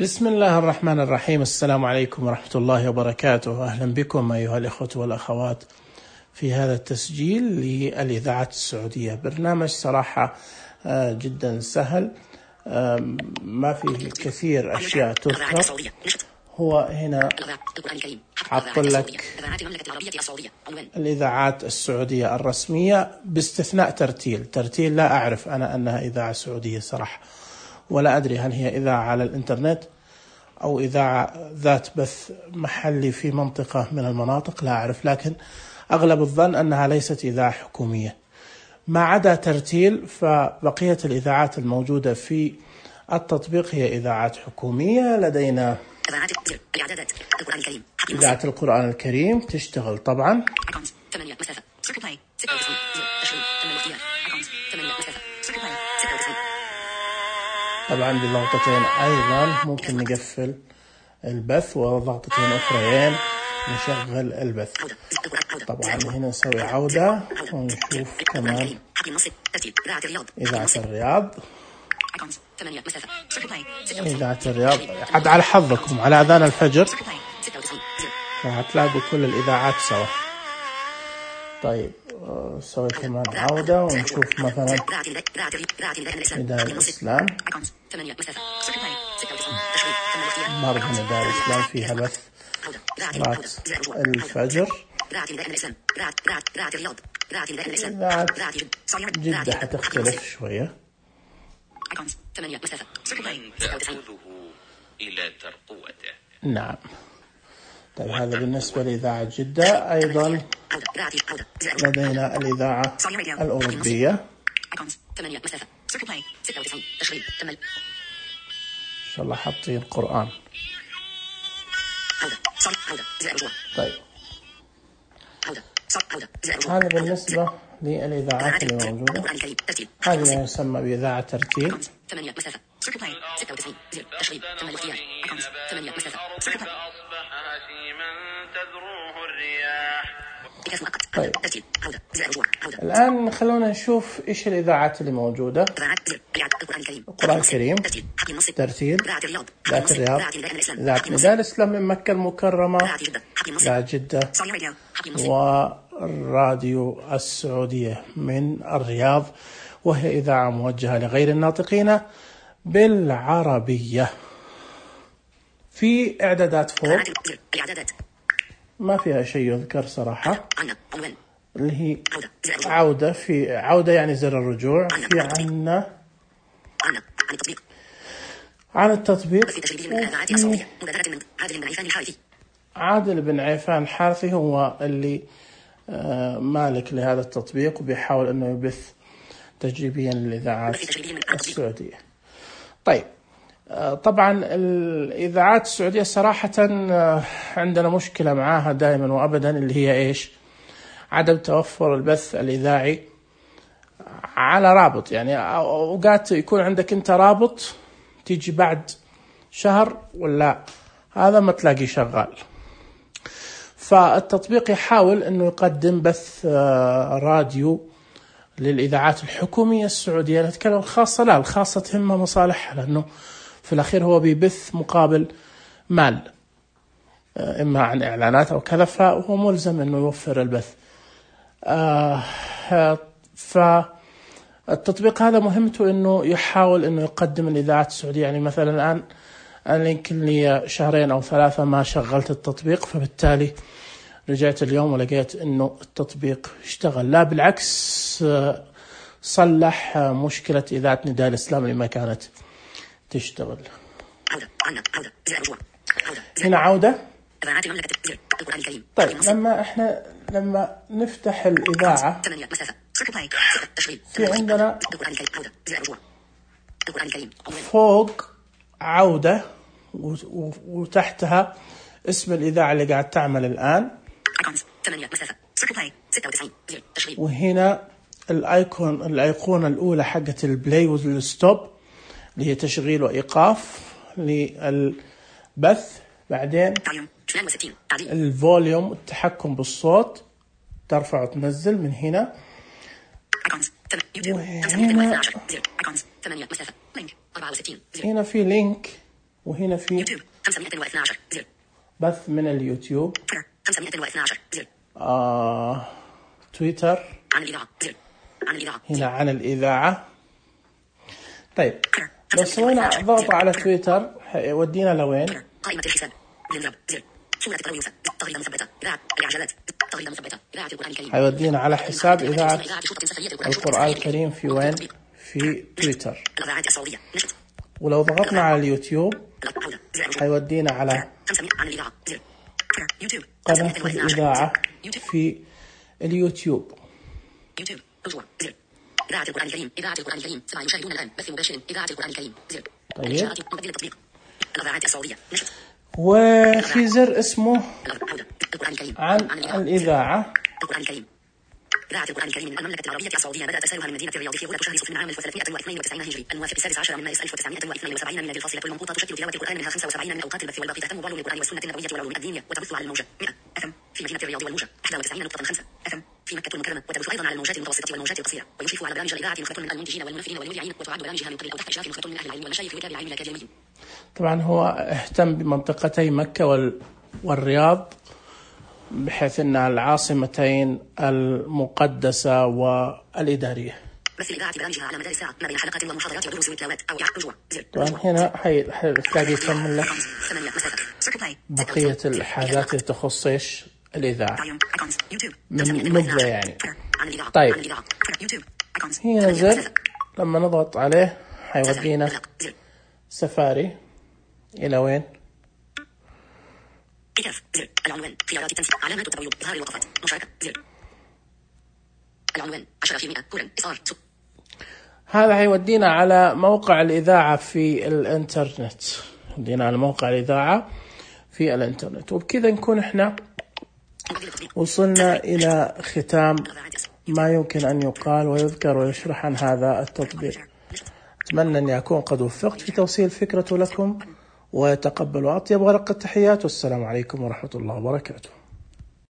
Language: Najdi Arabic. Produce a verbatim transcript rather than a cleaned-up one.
بسم الله الرحمن الرحيم. السلام عليكم ورحمة الله وبركاته. أهلا بكم أيها الإخوة والأخوات في هذا التسجيل للإذاعة السعودية. برنامج صراحة جدا سهل، ما فيه كثير أشياء تذكر. هو هنا حط لك الإذاعات السعودية الرسمية باستثناء ترتيل. ترتيل لا أعرف أنا أنها إذاعة سعودية صراحة، ولا أدري هل هي إذاعة على الإنترنت أو إذاعة ذات بث محلي في منطقة من المناطق، لا أعرف، لكن أغلب الظن أنها ليست إذاعة حكومية. ما عدا ترتيل فبقية الإذاعات الموجودة في التطبيق هي إذاعات حكومية. لدينا إذاعة القرآن الكريم تشتغل طبعا، طبعا بضغطتين أيضا ممكن نقفل البث، وضغطتين أخرين نشغل البث. طبعا هنا نسوي عودة ونشوف كمان إذاعة الرياض. إذاعة الرياض عاد على حظكم على أذان الفجر فهتلاقوا كل الإذاعات سوا. طيب نسوي كمان عودة ونشوف مثلا نداء الإسلام، مرة نداء الإسلام فيها بث صلاة الفجر. إذاعة جدة حتختلف شوية. نعم. طيب هذا بالنسبة لإذاعة جدة. أيضا لدينا الإذاعة الأوروبية، إن شاء الله حاطين القرآن. طيب هذا بالنسبة للإذاعات اللي موجودة. هذه يسمى بإذاعة ترتيل. طيب الآن خلونا نشوف إيش الإذاعات اللي موجودة. القرآن الكريم، ترتيل، إذاعة الرياض، إذاعة نداء الإسلام من مكة المكرمة، إذاعة جدة، والراديو السعودية من الرياض، وهي إذاعة موجهة لغير الناطقين بالعربية. في إعدادات فوق ما فيها شيء يذكر صراحة، اللي هي عودة. في عودة يعني زر الرجوع. في عنا عن التطبيق. عادل بن عيفان الحارثي هو اللي مالك لهذا التطبيق وبيحاول أنه يبث تجريبيا للإذاعات السعودية. طيب طبعا الإذاعات السعودية صراحة عندنا مشكلة معاها دائما وأبدا، اللي هي إيش؟ عدم توفر البث الإذاعي على رابط. يعني أوقات يكون عندك أنت رابط تيجي بعد شهر ولا هذا ما تلاقي شغال. فالتطبيق يحاول أنه يقدم بث راديو للإذاعات الحكومية السعودية. نتكلم الخاصة، لا الخاصة تهمها مصالحها، لأنه في الأخير هو بيبث مقابل مال، إما عن إعلانات أو كذا، فهو ملزم أنه يوفر البث. آه فالتطبيق هذا مهمته أنه يحاول أنه يقدم الإذاعات السعودية. يعني مثلا الآن أنا يمكن لي شهرين أو ثلاثة ما شغلت التطبيق، فبالتالي رجعت اليوم ولقيت أنه التطبيق اشتغل. لا بالعكس، صلح مشكلة إذاعة نداء الإسلام اللي ما كانت تشتغل. هنا عودة. طيب لما احنا لما نفتح الإذاعة في عندنا فوق عودة وتحتها اسم الإذاعة اللي قاعد تعمل الآن، وهنا الآيكون الأيقونة الأولى حقة البلاي والستوب اللي هي تشغيل وإيقاف للبث. بعدين الفوليوم، التحكم بالصوت، ترفع وتنزل من هنا. وهنا هنا في لينك وهنا في يوتيوب خمسمائة واثني عشر زر. بث من اليوتيوب. خمسمائة واثني عشر زر. آه... تويتر عن الإذاعة زر. عن الإذاعة هنا عن الإذاعة. طيب لو سوينا ضغط على تويتر هيودينا لوين؟ قائمة الحساب للرب زر. صورة الترويوسة تغريدة مثبتة إذاعة الإعجازات تغريدة مثبتة إذاعة القرآن الكريم. هيودينا على حساب إذاعة القرآن الكريم في وين؟ في تويتر. الإذاعات السعودية نشط. ولو ضغطنا على اليوتيوب هيودينا على عن الإذاعة زر. يوتيوب قناة الإذاعة في اليوتيوب. يوتيوب رجوع زر. إذاعة القرآن الكريم إذاعة القرآن الكريم سبعة يشاهدون الآن بث مباشر إذاعة القرآن الكريم زر. طيب مبدل التطبيق الإذاعات السعودية نشط. وفي زر اسمه القرآن الكريم عن الإذاعة. القرآن الكريم إذاعة القرآن الكريم من المملكة العربية السعودية بدأ تسارها من مدينة الرياض في غولة شهر صفر من عام ألف وثلاثمائة واثنين وتسعين هجري الموافق السادس عشر من مارس ألف وتسعمائة واثنين وسبعين ميلادي. الفاصلة المنقوطة تشكل تلاوة القرآن منها خمسة وسبعين من أوقات البث والباقي تهتم بعلوم القرآن والسنة النبوية والعلوم الدينية وتبث على الموجة مئة أف إم في مدينة الرياض والموجة واحد وتسعين نقطة خمسة أف إم في مكة المكرمة وتبث أيضا على الموجات المتوسطة والموجات القصيرة. ويشرف على برامج الإذاعة نخبة من المنتجين والمنفذين والمذيعين وتعد برامجها من قبل أو تحت إشراف نخبة من أهل العلم والمشايخ وكتاب العلم الأكاديميين. طبعا هو اهتم بمنطقتي مكة وال... والرياض بحيث أنها العاصمتين المقدسة والإدارية. بث الإذاعة برامجها على مدار الساعة ما بين حلقات ومحاضرات ودروس وتلاوات أو رجوع زر. طبعا هنا حتلاقي يكمل لك بقية الحاجات اللي تخص إيش الإذاعة من نبذة يعني. طيب هنا زر لما نضغط عليه حيودينا سفاري إلى وين؟ كتاف زر. العنوان خيارات التنسيق علامات التبويب إظهار الوقفات مشاركة زر. العنوان عشرة في المئة كورن إصدار. هذا هيودينا على موقع الإذاعة في الإنترنت. ودينا على موقع الإذاعة في الإنترنت. وبكذا نكون إحنا وصلنا إلى ختام ما يمكن أن يقال ويذكر ويشرح عن هذا التطبيق. أتمنى أني أكون قد وفقت في توصيل فكرته لكم ويتقبل أطيب ورقة التحيات والسلام عليكم ورحمة الله وبركاته.